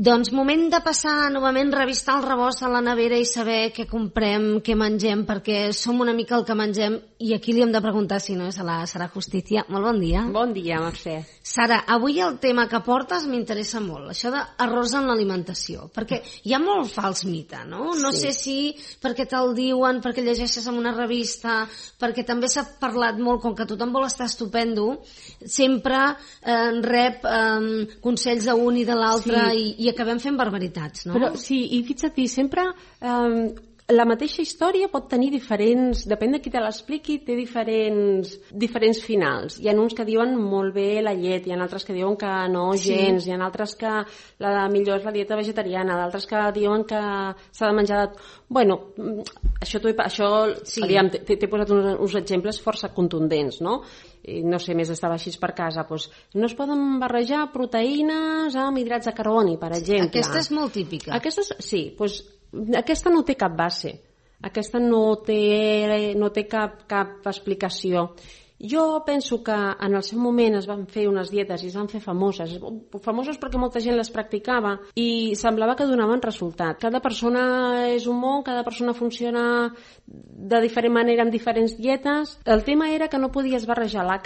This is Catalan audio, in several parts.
Doncs moment de passar novament, revistar el rebost a la nevera i saber què comprem, què mengem, perquè som una mica el que mengem i aquí li hem de preguntar si no és a la Sara Justicia. Molt bon dia. Bon dia, Mercè. Sara, avui el tema que portes m'interessa molt, això d'errors en l'alimentació, perquè hi ha molt fals mite, no? No sé si perquè te'l diuen, perquè llegeixes en una revista, perquè també s'ha parlat molt, com que tothom vol estar estupendo, sempre rep consells d'un i de l'altre i acabem fent barbaritats, no? Però sí, i fixa't, sempre la mateixa història pot tenir diferents, depèn de qui te l'expliqui, té diferents finals. Hi ha uns que diuen molt bé la llet, hi ha altres que diuen que no gens, hi ha altres que la millor és la dieta vegetariana, d'altres que diuen que s'ha de menjar de... Bueno, t'he posat uns exemples força contundents, no? No sé, més estava així per casa, doncs no es poden barrejar proteïnes amb hidrats de carboni, per exemple. Aquesta és molt típica. Aquesta no té cap base, aquesta no té cap explicació. Jo penso que en el seu moment es van fer unes dietes i es van fer famoses perquè molta gent les practicava i semblava que donaven resultat. Cada persona és un món, cada persona funciona de diferent manera amb diferents dietes. El tema era que no podies barrejar la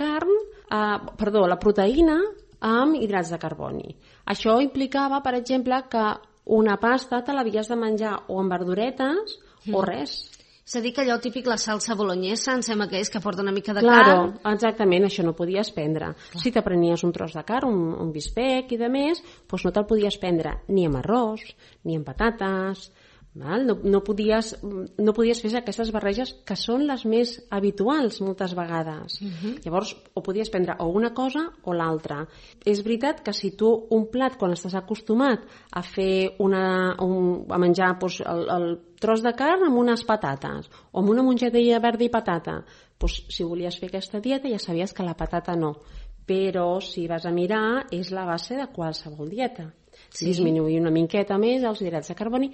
proteïna amb hidrats de carboni. Això implicava, per exemple, que una pasta te l'havies de menjar o amb verduretes o res. És a dir, que allò típic, la salsa bolognesa, em sembla que és que porta una mica de carn. Exactament, això no podies prendre. Si te prenies un tros de carn, un bispec i de més, doncs no te'l podies prendre ni amb arròs, ni amb patates, val? No podies fer aquestes barreges que són les més habituals moltes vegades. Llavors, o podies prendre o una cosa o l'altra. És veritat que si tu un plat, quan estàs acostumat a fer a menjar el tros de carn amb unes patates o amb una mongetella verda i patata, doncs si volies fer aquesta dieta ja sabies que la patata no, però si vas a mirar és la base de qualsevol dieta. Disminuir una miqueta més els hidrats de carboni.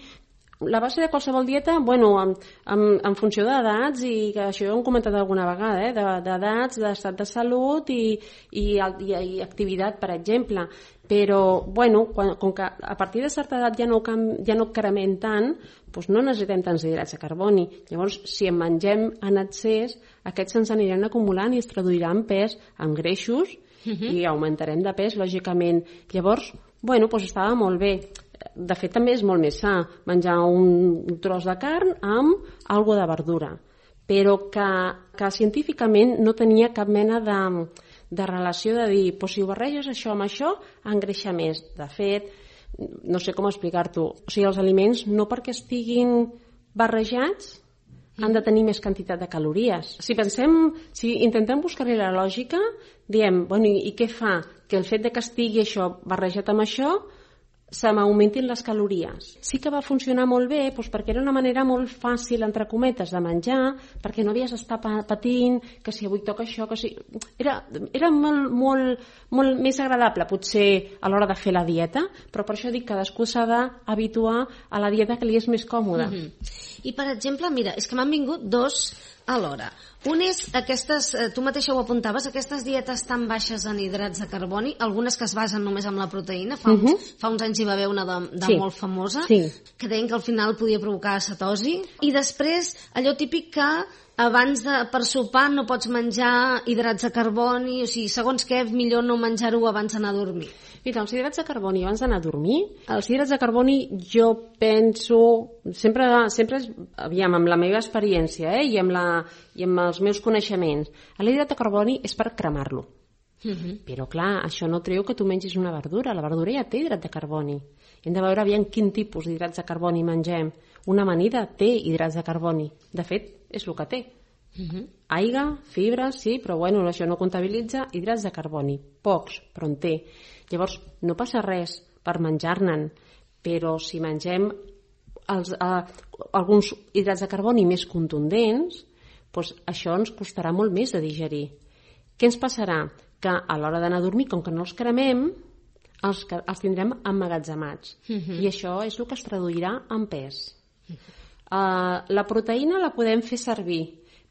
La base de qualsevol dieta, en funció d'edats, i que això ho hem comentat alguna vegada, d'edats, d'estat de salut i activitat, per exemple. Però, com que a partir de certa edat ja no cremem tant, doncs no necessitem tants hidrats de carboni. Llavors, si en mengem en excés, aquests se'ns aniran acumulant i es traduiran en pes, en greixos, i augmentarem de pes, lògicament. Llavors, estava molt bé. De fet, també és molt més sa menjar un tros de carn amb algo de verdura, però que científicament no tenia cap mena de relació de dir, si ho barreges això amb això, engreixa més. De fet, no sé com explicar-t'ho, o sigui, els aliments no perquè estiguin barrejats han de tenir més quantitat de calories. Si intentem buscar-hi la lògica, diem, i què fa? Que el fet de que estigui això barrejat amb això se m'augmentin les calories. Sí que va funcionar molt bé perquè era una manera molt fàcil, entre cometes, de menjar, perquè no havies d'estar patint, que si avui toca això, que si... Era molt més agradable, potser, a l'hora de fer la dieta, però per això dic que cadascú s'ha d'habituar a la dieta que li és més còmoda. I, per exemple, mira, és que m'han vingut dos alhora. Un és aquestes, tu mateixa ho apuntaves, aquestes dietes tan baixes en hidrats de carboni, algunes que es basen només en la proteïna, fa uns anys hi va haver una de molt famosa, que deien que al final podia provocar cetosi, i després allò típic que abans per sopar no pots menjar hidrats de carboni, o sigui, segons què, millor no menjar-ho abans d'anar a dormir. Mira, els hidrats de carboni abans d'anar a dormir, els hidrats de carboni jo penso, sempre aviam, amb la meva experiència i amb els meus coneixements, l'hidrat de carboni és per cremar-lo. Però clar, això no treu que tu mengis una verdura, la verdura ja té hidrat de carboni. Hem de veure aviam quin tipus d'hidrats de carboni mengem. Una amanida té hidrats de carboni, de fet, és el que té. Aigua, fibres, sí, però això no comptabilitza hidrats de carboni, pocs, però en té. Llavors, no passa res per menjar-ne'n, però si mengem alguns hidrats de carboni més contundents, doncs això ens costarà molt més de digerir. Què ens passarà? Que a l'hora d'anar a dormir, com que no els cremem, els tindrem emmagatzemats. I això és el que es traduirà en pes. La proteïna la podem fer servir,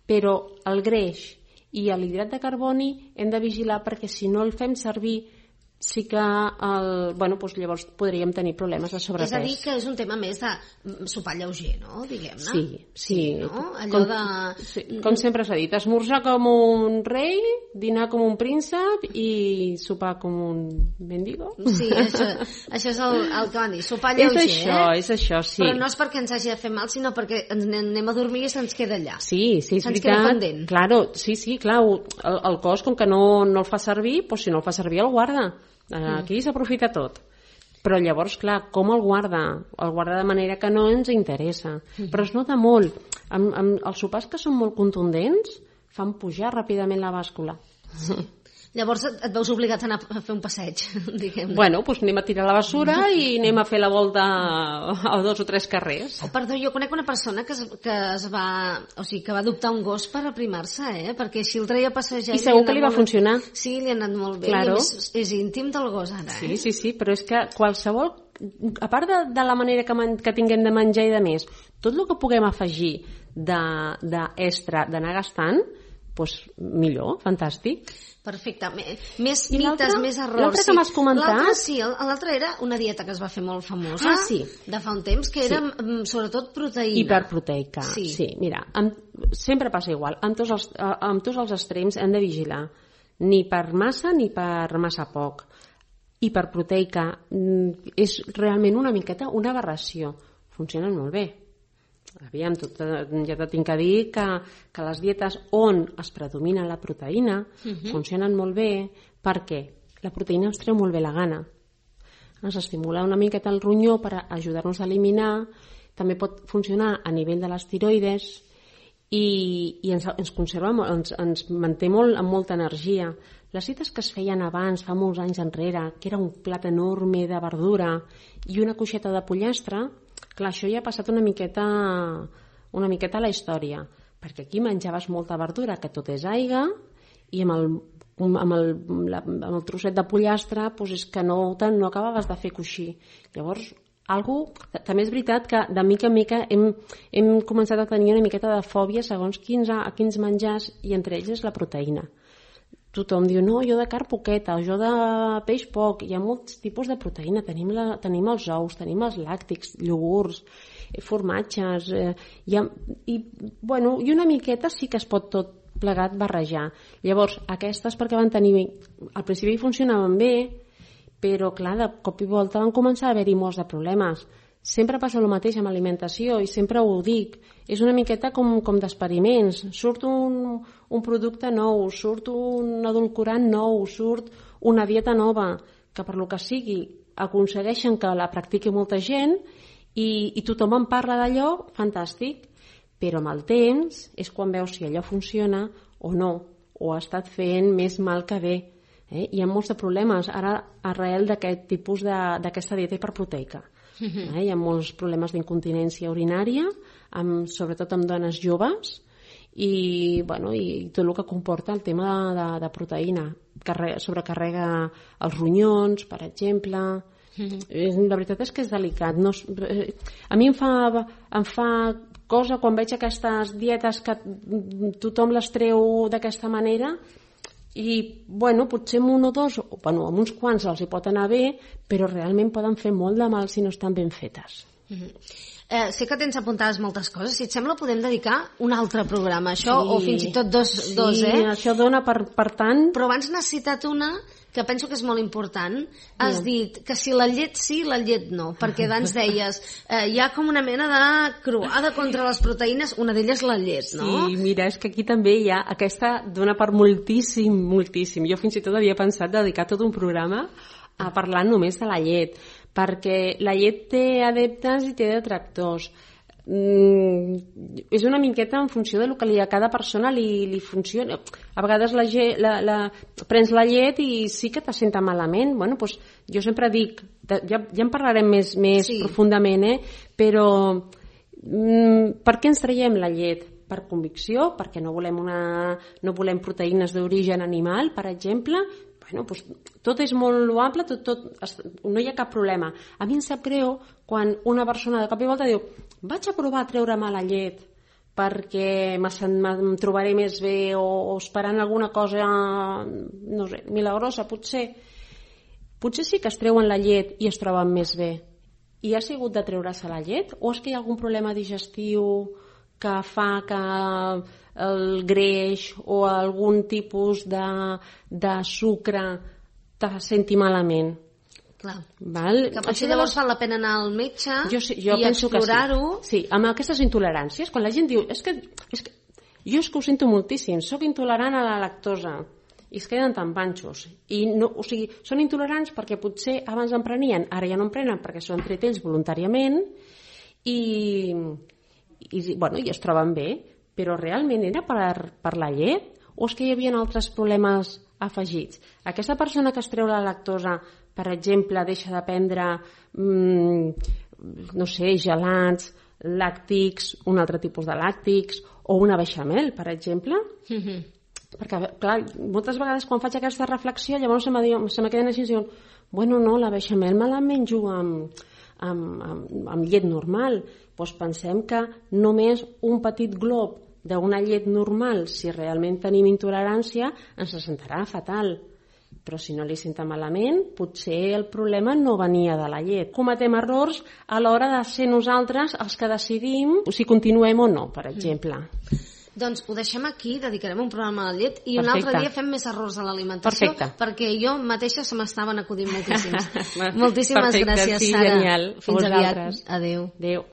però el greix i l'hidrat de carboni hem de vigilar perquè si no el fem servir sí que llavors podríem tenir problemes de sobrepès. És a dir, que és un tema més de sopar lleuger, no? Diguem-ne. Sí. No? Allò com sempre s'ha dit, esmorzar com un rei, dinar com un príncep i sopar com un mendigo. Sí, això és el que van dir, sopar lleuger. És això, sí. Però no és perquè ens hagi de fer mal, sinó perquè ens anem a dormir i se'ns queda allà. Sí, és veritat. Se'ns queda pendent. Claro, clar, el cos, com que no el fa servir, doncs si no el fa servir el guarda. Aquí s'aprofita tot. Però llavors, clar, com el guarda? El guarda de manera que no ens interessa. Però es nota molt. Els sopars que són molt contundents fan pujar ràpidament la bàscula. Llavors et veus obligat a anar a fer un passeig, diguem-ne. Bueno, doncs anem a tirar la bessura i anem a fer la volta a 2 o 3 carrers. Perdó, jo conec una persona que va adoptar un gos per aprimar-se, perquè així el treia a passejar. I segur que li va funcionar. Sí, li ha anat molt bé. Claro. I és íntim del gos ara, Sí, però és que qualsevol... A part de la manera que tinguem de menjar i de més, tot el que puguem afegir d'extra, d'anar gastant, doncs millor, fantàstic. Perfecte. Més mites, més errors. L'altre que m'has comentat... L'altre era una dieta que es va fer molt famosa de fa un temps, que era sobretot proteïna. Hiperproteica, sí. Mira, sempre passa igual. Amb tots els extrems hem de vigilar. Ni per massa ni per massa poc. Hiperproteica és realment una miqueta una aberració. Funcionen molt bé. Aviam, ja t'he de dir que les dietes on es predomina la proteïna funcionen molt bé perquè la proteïna ens treu molt bé la gana. Ens estimula una miqueta el ronyó per ajudar-nos a eliminar, també pot funcionar a nivell de les tiroides i ens conserva, ens manté amb molta energia. Les dietes que es feien abans, fa molts anys enrere, que era un plat enorme de verdura i una cuixeta de pollastre, clar, això ja ha passat una miqueta a la història, perquè aquí menjaves molta verdura, que tot és aigua, i amb el trosset de pollastre doncs és que no acabaves de fer coixí. Llavors, també és veritat que de mica en mica hem començat a tenir una miqueta de fòbia segons quins menjars, i entre ells és la proteïna. Tothom diu, no, jo de carn poqueta, o jo de peix poc. Hi ha molts tipus de proteïna. Tenim els ous, tenim els làctics, iogurts, formatges, i una miqueta sí que es pot tot plegat barrejar. Llavors, aquestes perquè van tenir... Al principi funcionaven bé, però clar, de cop i volta van començar a haver-hi molts de problemes. Sempre passa el mateix amb alimentació i sempre ho dic. És una miqueta com d'experiments. Surt un producte nou, surt un edulcorant nou, surt una dieta nova, que per lo que sigui aconsegueixen que la practiqui molta gent i tothom en parla d'allò, fantàstic. Però amb el temps és quan veus si allò funciona o no, o ha estat fent més mal que bé. Hi ha molts de problemes ara arrel d'aquest tipus d'aquesta dieta hiperproteica. Hi ha molts problemes d'incontinència urinària, sobretot amb dones joves, i tot el que comporta el tema de proteïna. Sobrecarrega els ronyons, per exemple. La veritat és que és delicat. A mi em fa cosa quan veig aquestes dietes que tothom les treu d'aquesta manera, i potser amb un o dos, amb uns quants els hi pot anar bé, però realment poden fer molt de mal si no estan ben fetes. Sé que tens apuntades moltes coses, si et sembla podem dedicar un altre programa a això, o fins i tot dos, això dona per tant. Però abans n'has citat una que penso que és molt important. Has dit que si la llet sí, la llet no, perquè abans deies hi ha com una mena de croada contra les proteïnes, una d'elles la llet, no? Sí, mira, és que aquí també hi ha aquesta dona per moltíssim. Jo fins i tot havia pensat dedicar tot un programa a parlar només de la llet, perquè la llet té adeptes i té detractors. És una miqueta en funció del que a cada persona li funciona. A vegades prens la llet i sí que te senta malament. Doncs jo sempre dic, ja en parlarem més profundament, però per què ens traiem la llet? Per convicció, perquè no volem proteïnes d'origen animal, per exemple. Doncs tot és molt loable, no hi ha cap problema. A mi em sap greu quan una persona de cop i volta diu vaig a provar a treure-me la llet perquè em trobaré més bé, o esperant alguna cosa, no sé, milagrosa potser. potser sí que es treuen la llet i es troben més bé. I ha sigut de treure-se la llet? O és que hi ha algun problema digestiu que fa que el greix o algun tipus de sucre te senti malament? Clar. Val? Que potser llavors val la pena anar al metge jo i explorar-ho. Sí, amb aquestes intoleràncies, quan la gent diu és que jo és que ho sento moltíssim, sóc intolerant a la lactosa, i es queden tan panxos. I no, o sigui, són intolerants perquè potser abans en prenien, ara ja no en prenen perquè s'ho han tret ells voluntàriament i es troben bé, però realment era per la llet o és que hi havia altres problemes afegits? Aquesta persona que es treu la lactosa, per exemple, deixa de prendre no sé, gelats, làctics, un altre tipus de làctics o una beixamel, per exemple. Perquè, clar, moltes vegades quan faig aquesta reflexió llavors se me queden així i diuen bueno, no, la beixamel me la menjo amb llet normal. Doncs pensem que només un petit glob d'una llet normal, si realment tenim intolerància, ens sentarà fatal. Però si no li senta malament, potser el problema no venia de la llet. Cometem errors a l'hora de ser nosaltres els que decidim si continuem o no, per exemple. Doncs ho deixem aquí, dedicarem un programa a la llet i un altre dia fem més errors a l'alimentació perquè jo mateixa se m'estaven acudint moltíssims. Moltíssimes gràcies, Sara. Genial. Fins aviat. Adéu. Adéu.